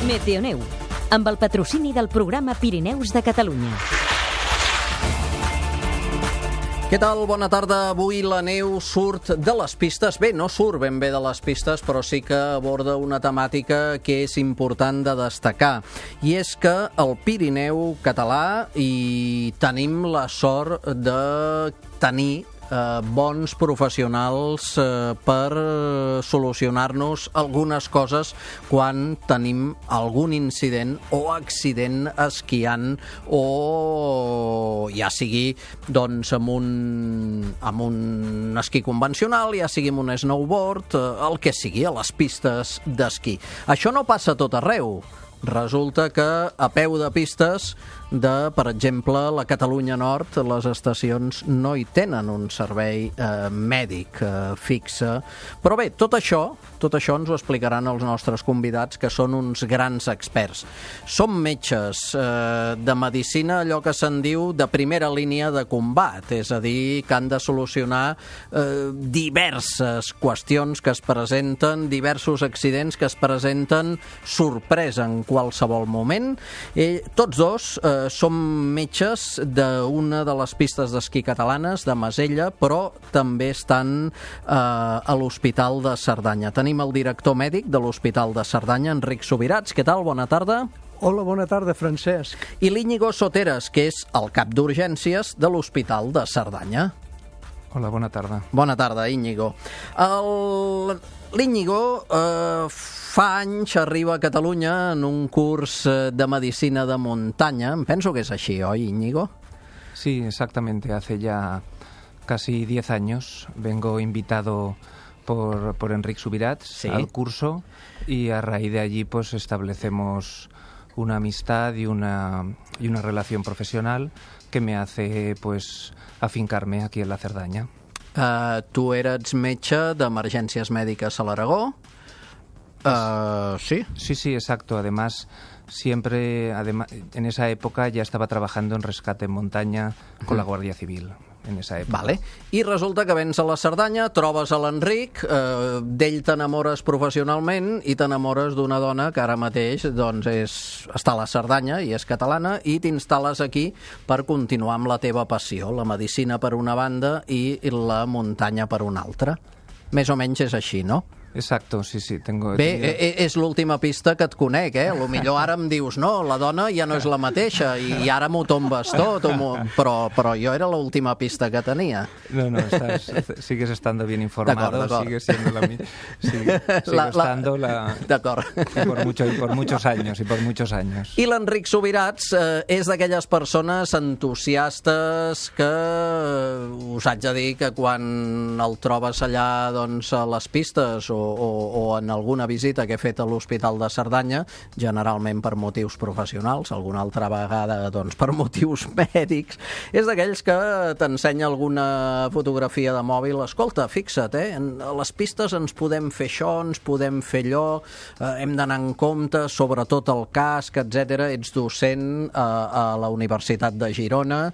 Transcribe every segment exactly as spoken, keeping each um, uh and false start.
Meteoneu, amb el patrocini del programa Pirineus de Catalunya. Què tal? Bona tarda. Avui la neu surt de les pistes. Bé, no surt ben bé de les pistes, però sí que aborda una temàtica que és important de destacar. I és que al Pirineu català hi tenim la sort de tenir Eh, bons professionals eh, per solucionar-nos algunes coses quan tenim algun incident o accident esquiant o ja sigui doncs amb un, amb un esquí convencional, ja sigui amb un snowboard, eh, el que sigui, a les pistes d'esquí. Això no passa a tot arreu. Resulta que a peu de pistes de, per exemple, la Catalunya Nord, les estacions no hi tenen un servei eh, mèdic eh, fixe. Però bé, tot això, tot això ens ho explicaran els nostres convidats, que són uns grans experts. Som metges eh, de medicina, allò que se'n diu de primera línia de combat, és a dir, que han de solucionar eh, diverses qüestions que es presenten, diversos accidents que es presenten sorpresa en qualsevol moment. Eh, tots dos eh, som metges d'una de les pistes d'esquí catalanes, de Masella, però també estan eh, a l'Hospital de Cerdanya. Tenim el director mèdic de l'Hospital de Cerdanya, Enric Subirats. Què tal? Bona tarda. Hola, bona tarda, Francesc. I l'Íñigo Soteres, que és el cap d'urgències de l'Hospital de Cerdanya. Hola, bona tarda. Bona tarda, Íñigo. El... L'Íñigo eh, fa anys arriba a Catalunya en un curs de medicina de muntanya. Em penso que és així, oi, Íñigo? Sí, exactamente. Hace ya casi diez años vengo invitado por, por Enric Subirats, ¿sí?, al curso, y a raíz de allí pues establecemos una amistad y una, y una relación profesional que me hace pues afincarme aquí en la Cerdaña. Uh, tu eres metge d'emergències mèdiques a l'Aragó. Uh, ¿Sí? Sí, sí, exacto. Además, siempre, además, en esa época ya estaba trabajando en rescate en montaña con la Guardia Civil. En esa època. Vale. I resulta que vens a la Cerdanya, trobes a l'Enric, eh, d'ell t'enamores professionalment i t'enamores d'una dona que ara mateix doncs, és, està a la Cerdanya i és catalana, i t'instal·les aquí per continuar amb la teva passió, la medicina per una banda i la muntanya per una altra. Més o menys és així, no? Exacto, sí, sí. Tengo... Bé, és l'última pista que et conec, eh? A lo millor ara em dius, no, la dona ja no és la mateixa i ara m'ho tombes tot, però, però jo era l'última pista que tenia. No, no, estás, sigues estando bien informado, d'acord, d'acord. Sigues siendo la misma. Sigue, sigo la, estando la... D'acord. Y por, mucho, y por muchos años, y por muchos años. I l'Enric Subirats eh, és d'aquelles persones entusiastes que us haig de dir que quan el trobes allà doncs, a les pistes o O, o en alguna visita que he fet a l'Hospital de Cerdanya, generalment per motius professionals, alguna altra vegada doncs, per motius mèdics, és d'aquells que t'ensenya alguna fotografia de mòbil. Escolta, fixa't, eh? a les pistes ens podem fer això, ens podem fer allò, eh, hem d'anar en compte, sobretot el casc, etcètera. Ets docent a, a la Universitat de Girona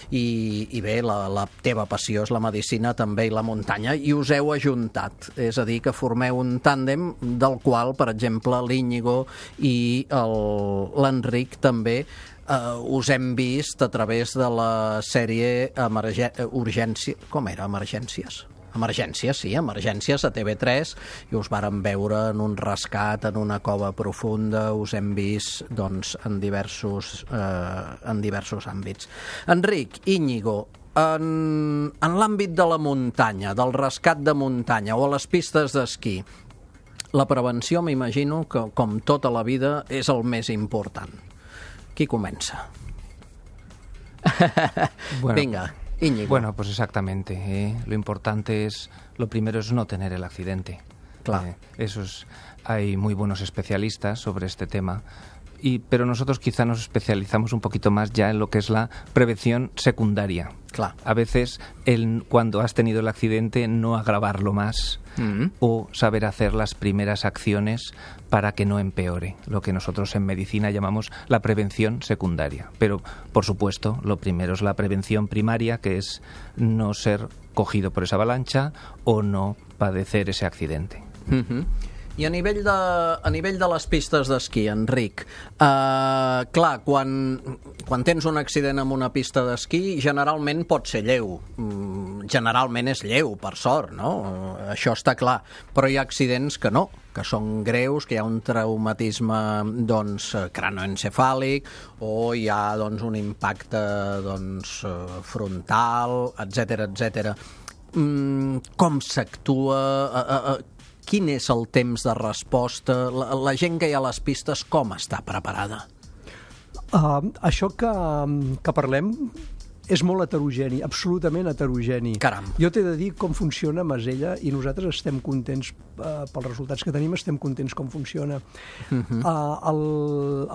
i, i bé, la, la teva passió és la medicina també i la muntanya, i us heu ajuntat, és a dir, que formeu un tàndem del qual, per exemple, l'Íñigo i l'Enric també eh, us hem vist a través de la sèrie Emergè... Urgència... Com era? Emergències? Emergències, sí, Emergències a T V tres, i us vàrem veure en un rescat, en una cova profunda, us hem vist doncs, en, diversos, eh, en diversos àmbits. Enric, Íñigo, En, en l'àmbit de la muntanya, del rescat de muntanya o a les pistes d'esquí, la prevenció, m'imagino que, com tota la vida, és el més important. Qui comença? Bueno, Venga, Íñigo. Bueno, pues exactamente. ¿eh? Lo importante es, lo primero es no tener el accidente. Claro. Eh, eso es, hay muy buenos especialistas sobre este tema. Y, pero nosotros quizá nos especializamos un poquito más ya en lo que es la prevención secundaria. Claro. A veces, el, cuando has tenido el accidente, no agravarlo más mm-hmm. o saber hacer las primeras acciones para que no empeore, lo que nosotros en medicina llamamos la prevención secundaria. Pero, por supuesto, lo primero es la prevención primaria, que es no ser cogido por esa avalancha o no padecer ese accidente. Mm-hmm. I a nivell de, a nivell de les pistes d'esquí, Enric, eh, clar, quan, quan tens un accident amb una pista d'esquí, generalment pot ser lleu. Generalment és lleu, per sort, no? Això està clar. Però hi ha accidents que no, que són greus, que hi ha un traumatisme doncs, cranoencefàlic o hi ha doncs, un impacte doncs, frontal, etcètera, etcètera. Com s'actua? Quin és el temps de resposta? La, la gent que hi ha a les pistes, com està preparada? Uh, això que, que parlem és molt heterogeni, absolutament heterogeni. Caram. Jo t'he de dir com funciona Masella i nosaltres estem contents uh, pels resultats que tenim, estem contents com funciona. Uh-huh. uh, el,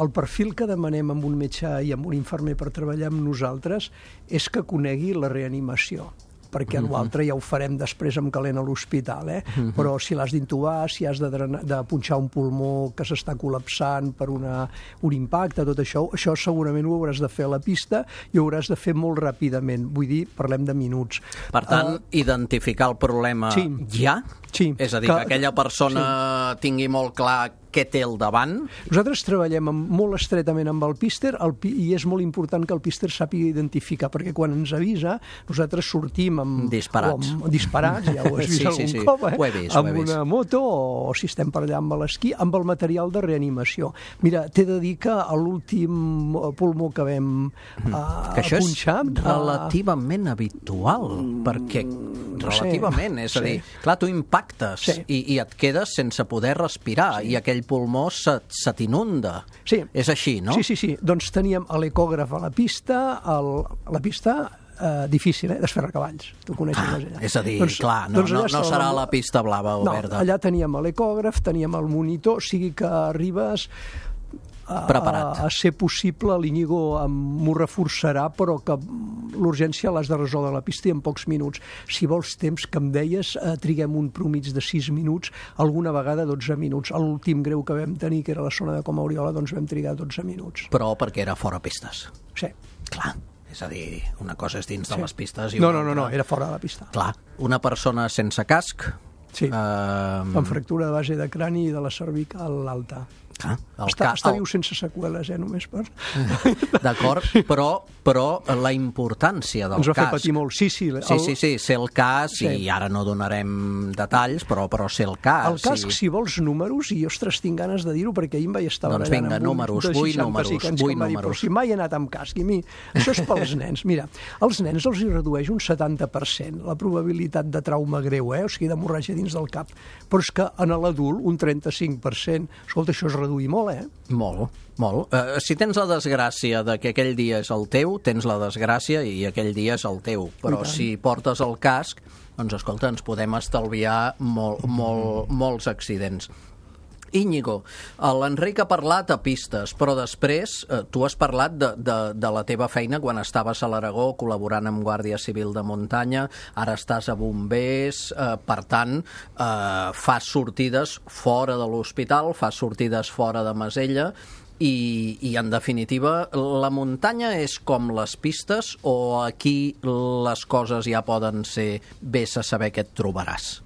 el perfil que demanem amb un metge i amb un infermer per treballar amb nosaltres és que conegui la reanimació, perquè uh-huh. l'altre ja ho farem després amb calent a l'hospital, eh? Uh-huh. Però si l'has d'intubar, si has de, drenar, de punxar un pulmó que s'està col·lapsant per una, un impacte, tot això, això segurament ho hauràs de fer a la pista i ho hauràs de fer molt ràpidament. Vull dir, parlem de minuts. Per tant, uh, identificar el problema sí. ja? Sí. És a dir, que, que aquella persona sí. tingui molt clar què té al davant? Nosaltres treballem amb, molt estretament amb el píster el, i és molt important que el píster sàpiga identificar, perquè quan ens avisa nosaltres sortim amb... Disparats. Amb, disparats, ja ho has vist sí, algun sí, sí. cop, eh? Ho he vist, amb ho he vist. una moto o, o si estem per allà amb l'esquí, amb el material de reanimació. Mira, t'he de dir que a l'últim pulmó que vam uh, que això punxar... és relativament uh, habitual, perquè relativament, sí, és a dir, sí. clar, tu impactes sí. i, i et quedes sense poder respirar sí. i aquell pulmó se, se t'inunda. Sí. És així, no? Sí, sí, sí. Doncs teníem l'ecògraf a la pista, el, a la pista eh, difícil, eh, desferrar cavalls. Tu coneixes ah, allà. És a dir, doncs, clar, no, doncs no, no serà la... la pista blava o no, verda. Allà teníem l'ecògraf, teníem el monitor, o sigui que arribes... Preparat. A, a ser possible, l'Iñigo m'ho reforçarà, però que l'urgència l'has de resoldre a la pista i en pocs minuts. Si vols temps, que em deies, eh, triguem un promig de sis minuts, alguna vegada dotze minuts. L'últim greu que vam tenir, que era la zona de Coma Oriola, doncs vam trigar dotze minuts. Però perquè era fora pistes. Sí. Clar. És a dir, una cosa és dins sí. de les pistes i no, una no, no, altra... no, era fora de la pista. Clar. Una persona sense casc... Sí, eh... amb fractura de base de crani i de la cervical alta. Ah, està, ca... està viu sense seqüeles, eh, només per... D'acord, però, però la importància del cas... Ens va cas... fer patir molt, sí, sí. El... Sí, sí, sí, sé el cas, sí. i ara no donarem detalls, però, però sé el cas. El cas, i... si vols números, i ostres, tinc ganes de dir-ho, perquè ahir em vaig estar doncs barallant vinga, amb números, un vull números, vull números. Dir, però si mai he anat amb casc, i mi, això és pels nens. Mira, als nens els hi redueix un setanta per cent la probabilitat de trauma greu, eh? O sigui, d'hemorràgia dins del cap. Però és que en l'adult un trenta-cinc per cent. Escolta, això es reduï molt, eh? Molt, molt. Uh, si tens la desgràcia de que aquell dia és el teu, tens la desgràcia i aquell dia és el teu. Però si portes el casc, doncs escolta, ens podem estalviar molt, molt, molts accidents. Íñigo, l'Enric ha parlat a pistes, però després eh, tu has parlat de, de, de la teva feina quan estaves a l'Aragó col·laborant amb Guàrdia Civil de Muntanya, ara estàs a Bombers, eh, per tant, eh, fas sortides fora de l'hospital, fas sortides fora de Masella, i, i en definitiva, la muntanya és com les pistes o aquí les coses ja poden ser vés a saber què et trobaràs?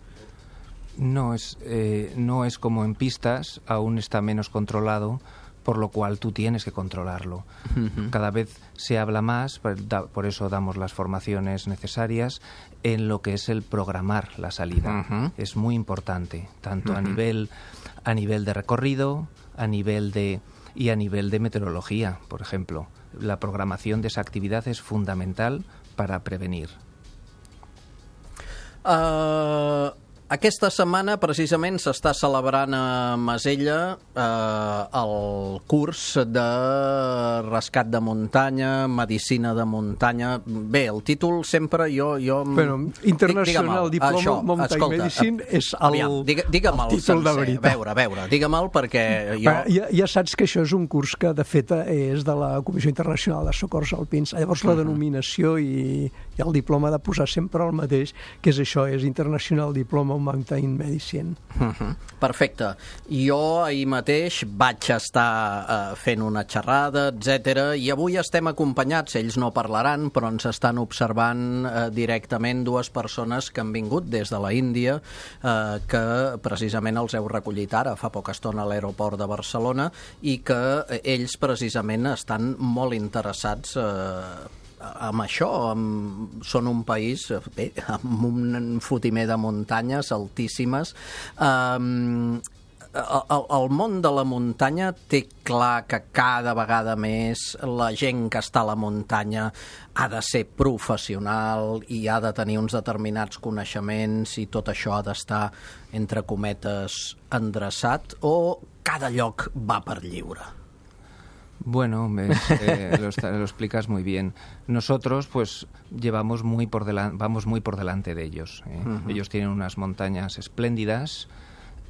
No es, eh, no es como en pistas, aún está menos controlado, por lo cual tú tienes que controlarlo. Uh-huh. Cada vez se habla más, por, da, por eso damos las formaciones necesarias, en lo que es el programar la salida. Uh-huh. Es muy importante, tanto uh-huh. a nivel, a nivel de recorrido, a nivel de, y a nivel de meteorología, por ejemplo. La programación de esa actividad es fundamental para prevenir. Uh... Aquesta setmana, precisament, s'està celebrant a Masella eh, el curs de rescat de muntanya, medicina de muntanya... Bé, el títol sempre jo... jo... Però International Diploma Això, Mountain escolta, Medicine és el, aviam, digue, digue-me'l el títol de veritat. A veure, a veure, digue-me'l perquè jo... Ja, ja saps que això és un curs que, de fet, és de la Comissió Internacional de Socors Alpins. Llavors, la denominació i, i el diploma ha de posar sempre el mateix, que és això, és International Diploma International Mountain Medicine. Uh-huh. Perfecte. Jo ahir mateix vaig estar uh, fent una xerrada, etcètera, i avui estem acompanyats, ells no parlaran, però ens estan observant uh, directament dues persones que han vingut des de la Índia, uh, que precisament els heu recollit ara, fa poca estona a l'aeroport de Barcelona, i que ells precisament estan molt interessats uh, amb això. Amb, són un país bé, amb un fotimer de muntanyes altíssimes. Um, el, el món de la muntanya té clar que cada vegada més la gent que està a la muntanya ha de ser professional i ha de tenir uns determinats coneixements i tot això ha d'estar, entre cometes, endreçat, o cada lloc va per lliure? Bueno, eh, lo, lo explicas muy bien. Nosotros, pues, llevamos muy por delante, vamos muy por delante de ellos. ¿eh? Uh-huh. Ellos tienen unas montañas espléndidas,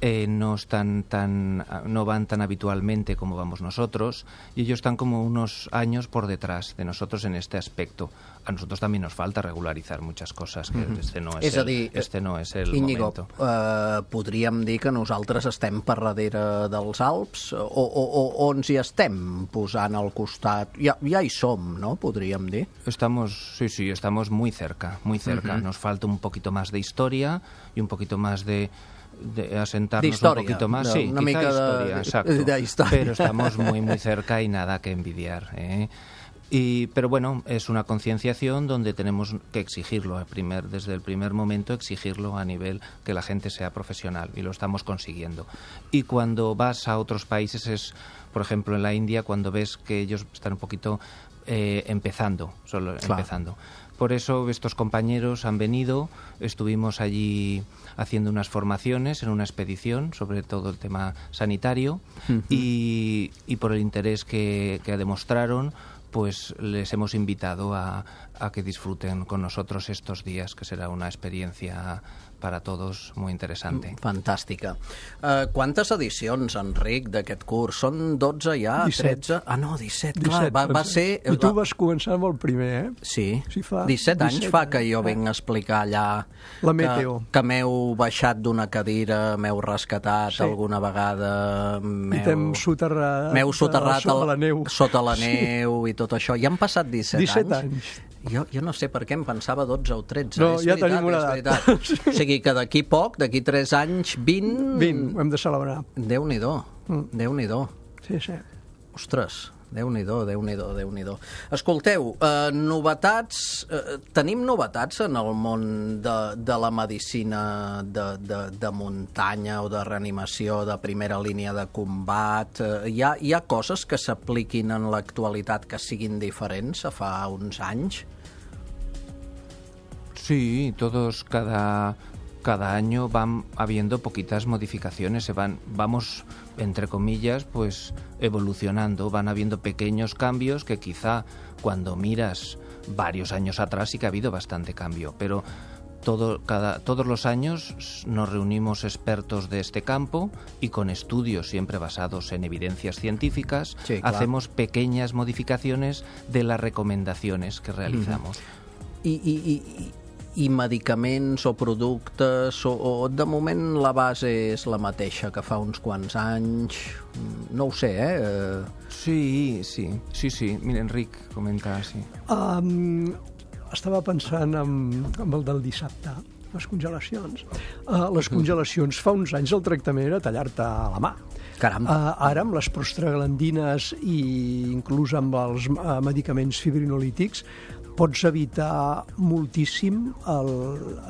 eh, no están tan, no van tan habitualmente como vamos nosotros, y ellos están como unos años por detrás de nosotros en este aspecto. A nosotros también nos falta regularizar muchas cosas, que uh-huh. este no és, és el, dir, este no és el Íñigo, momento. Uh, podríem dir que nosaltres estem per darrere dels Alps, o, o, o, o ens hi estem posant al costat? Ja, ja hi som, ¿no? Podríem dir. Estamos, sí, sí, estamos muy cerca, muy cerca. Uh-huh. Nos falta un poquito más de historia y un poquito más de de asentarnos un poquito más, de, sí, una quizá mica historia, de, exacto, de, de historia. Pero estamos muy muy cerca y nada que envidiar, ¿eh? Y, pero bueno, es una concienciación donde tenemos que exigirlo al primer, desde el primer momento, exigirlo a nivel que la gente sea profesional, y lo estamos consiguiendo. Y cuando vas a otros países, es, por ejemplo, en la India, cuando ves que ellos están un poquito eh, empezando, solo claro. empezando. Por eso estos compañeros han venido, estuvimos allí haciendo unas formaciones en una expedición sobre todo el tema sanitario, uh-huh. y, y por el interés que, que demostraron, pues les hemos invitado a, a que disfruten con nosotros estos días, que será una experiencia para todos muy interesante. Fantàstica. Uh, quantes edicions, Enric, d'aquest curs? Són dotze ja? disset. tretze? Ah, no, disset, clar. Va, va ser... I tu vas començar amb el primer, eh? Sí. sí fa disset anys fa que jo vinc a explicar allà la meteo. Que, que m'heu baixat d'una cadira, m'heu rescatat sí. alguna vegada, m'heu... I t'hem soterrat, m'heu soterrat sota la neu. Sota la neu sí. i tot això. Ja han passat disset, disset anys. anys. Jo, jo no sé per què em pensava dotze o tretze. No, és ja veritat, tenim una edat. O sigui que d'aquí poc, d'aquí tres anys, vint... vint, ho hem de celebrar. Déu-n'hi-do, mm. Déu-n'hi-do. Sí, sí. Ostres, Déu-n'hi-do, Déu-n'hi-do, Déu-n'hi-do. Escolteu, eh, novetats... Eh, tenim novetats en el món de, de la medicina de, de, de muntanya o de reanimació de primera línia de combat? Eh, hi, ha, hi ha coses que s'apliquin en l'actualitat que siguin diferents a fa uns anys? Sí, todos cada... Cada año van habiendo poquitas modificaciones, se van, vamos, entre comillas, pues evolucionando, van habiendo pequeños cambios que quizá cuando miras varios años atrás sí que ha habido bastante cambio, pero todo, cada, todos los años nos reunimos expertos de este campo y con estudios siempre basados en evidencias científicas, sí, claro. hacemos pequeñas modificaciones de las recomendaciones que realizamos. Mm. I, i, i... i medicaments o productes o, o de moment la base és la mateixa que fa uns quants anys, no ho sé, eh? Sí, sí, sí, sí. Mira, Enric, comenta, sí. Um, estava pensant en, en el del dissabte, les congelacions. Uh, les congelacions, fa uns anys el tractament era tallar-te a la mà. Caram. Uh, ara, amb les prostaglandines i inclús amb els uh, medicaments fibrinolítics, pots evitar moltíssim el,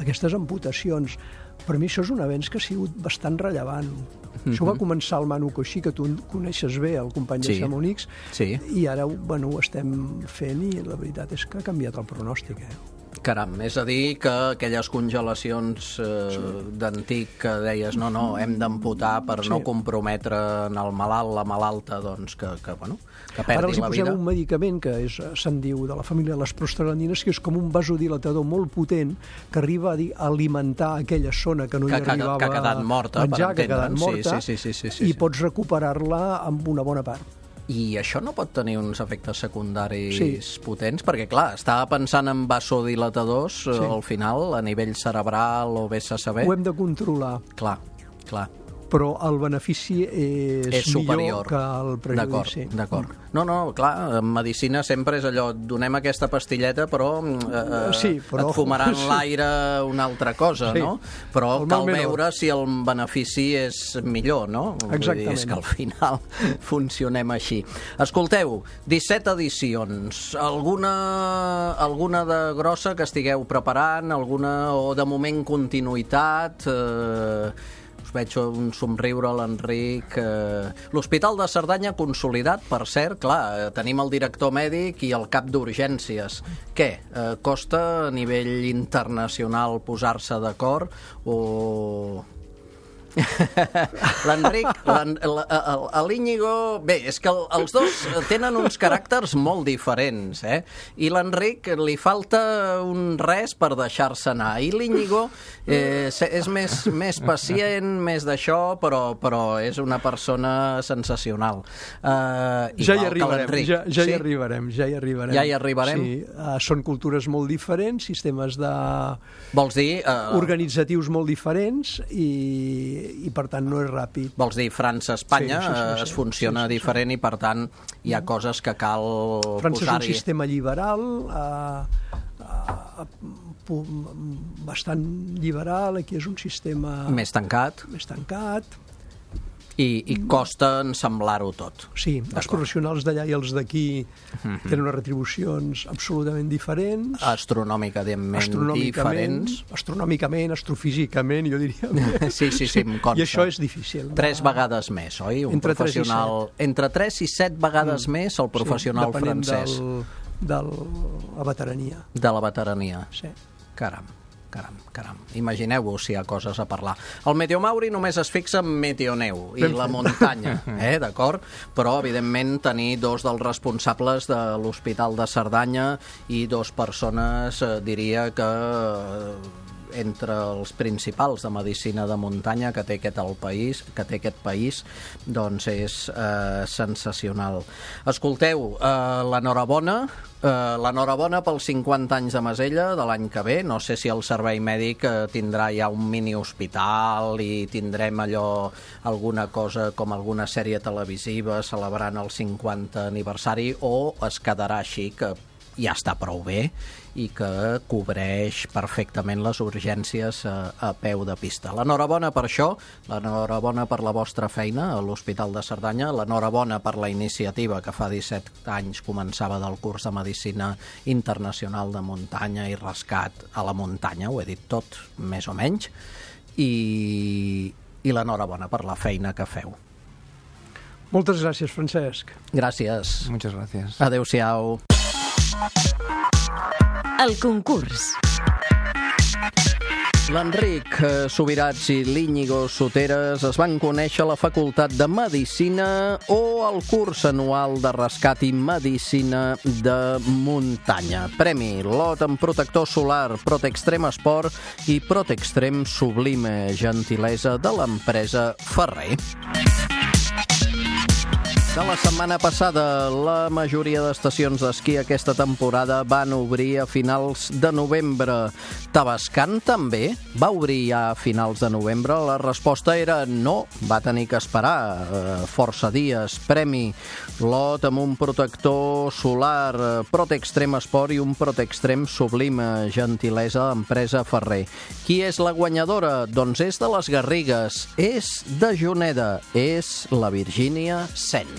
aquestes amputacions. Per mi això és un avenç que ha sigut bastant rellevant. Mm-hmm. Això va començar al Manu Coixí, que tu coneixes bé, el company sí. de Chamonix, sí. i ara bueno, ho estem fent i la veritat és que ha canviat el pronòstic. Eh? Caram, és a dir que aquelles congelacions eh, sí. d'antic que deies no, no, hem d'amputar per sí. no comprometre en el malalt, la malalta, doncs que, que, bueno, que perdi la vida. Ara els hi posem un medicament que és, se'n diu de la família de les prostaglandines, que és com un vasodilatador molt potent que arriba a, dir, a alimentar aquella zona que no que, hi arribava que ha quedat morta, menjar, per que ha quedat morta, sí, sí, sí, sí, sí, sí. i pots recuperar-la amb una bona part. I això no pot tenir uns efectes secundaris sí. potents? Perquè, clar, estava pensant en vasodilatadors, sí. al final, a nivell cerebral o vés a saber... Ho hem de controlar. Clar, clar. Però el benefici és, és superior millor que el prejudici. D'acord, d'acord. No, no, clar, en medicina sempre és allò, donem aquesta pastilleta, però, eh, sí, però et fumaran sí. l'aire una altra cosa, sí. no? Però el cal veure si el benefici és millor, no? Exactament. Vull dir, és que al final funcionem així. Escolteu, disset edicions. Alguna, alguna de grossa que estigueu preparant? Alguna, o de moment continuïtat? Eh, veig un somriure a l'Enric. L'Hospital de Cerdanya consolidat, per cert, clar, tenim el director mèdic i el cap d'urgències. Què? Costa a nivell internacional posar-se d'acord o... L'Enric, l'Íñigo... Bé, és que els dos tenen uns caràcters molt diferents, eh? I l'Enric li falta un res per deixar-se anar. I l'Íñigo eh, és més, més pacient, més d'això, però, però és una persona sensacional. Uh, ja hi arribarem, ja, ja sí? hi arribarem, ja hi arribarem. Ja hi arribarem? Sí, uh, són cultures molt diferents, sistemes de... Vols dir... Uh... organitzatius molt diferents i i per tant no és ràpid. Vols dir França-Espanya sí, sí, sí, sí, es funciona sí, sí, diferent sí. I per tant hi ha coses que cal posar-hi. França és un sistema liberal, eh, eh, bastant liberal, aquí és un sistema... Més tancat. Més tancat. I, i costa ensamblar-ho tot. Sí, els professionals d'allà i els d'aquí mm-hmm. tenen unes retribucions absolutament diferents. Astronòmicament diferents. Astronòmicament, astrofísicament, jo diria. Sí, sí, sí, em consta. I això és difícil. Tres vegades més, oi? Un entre professional... Entre tres i set vegades mm. més el professional sí, francès. De la veterania. De la veterania. Sí. Caram. Caram, caram. Imagineu-vos si hi ha coses a parlar. El Meteomauri només es fixa en meteoneu i la muntanya, eh, d'acord? Però, evidentment, tenir dos dels responsables de l'Hospital de Cerdanya i dos persones, eh, diria que... Eh, entre els principals de medicina de muntanya que té aquest el país, que té aquest país, doncs és eh, sensacional. Escolteu, eh, l'enhorabona, eh, l'enhorabona pels cinquanta anys de Masella de l'any que ve. No sé si el servei mèdic eh, tindrà ja un mini hospital i tindrem allò, alguna cosa com alguna sèrie televisiva celebrant el cinquanta aniversari, o es quedarà així, que ja està prou bé i que cobreix perfectament les urgències a, a peu de pista. L'enhorabona per això, l'enhorabona per la vostra feina a l'Hospital de Cerdanya, l'enhorabona per la iniciativa que fa disset anys començava del curs de Medicina Internacional de Muntanya i Rescat a la muntanya, ho he dit tot, més o menys, i, i l'enhorabona per la feina que feu. Moltes gràcies, Francesc. Gràcies. Muchas gracias. Adéu-siau. El concurs. L'Enric Subirats i l'Íñigo Soteres es van conèixer a la Facultat de Medicina o al curs anual de rescat i medicina de muntanya. Premi lot en protector solar Protextrem Esport i Protextrem Sublime, gentilesa de l'empresa Ferrer. De la setmana passada, la majoria d'estacions d'esquí aquesta temporada van obrir a finals de novembre. Tavascan també va obrir ja a finals de novembre. La resposta era no, va tenir que esperar eh, força dies. Premi lot amb un protector solar Protextrem Esport i un Protextrem Sublime, gentilesa d'empresa Ferrer. Qui és la guanyadora? Doncs és de les Garrigues, és de Juneda, és la Virgínia Cendra.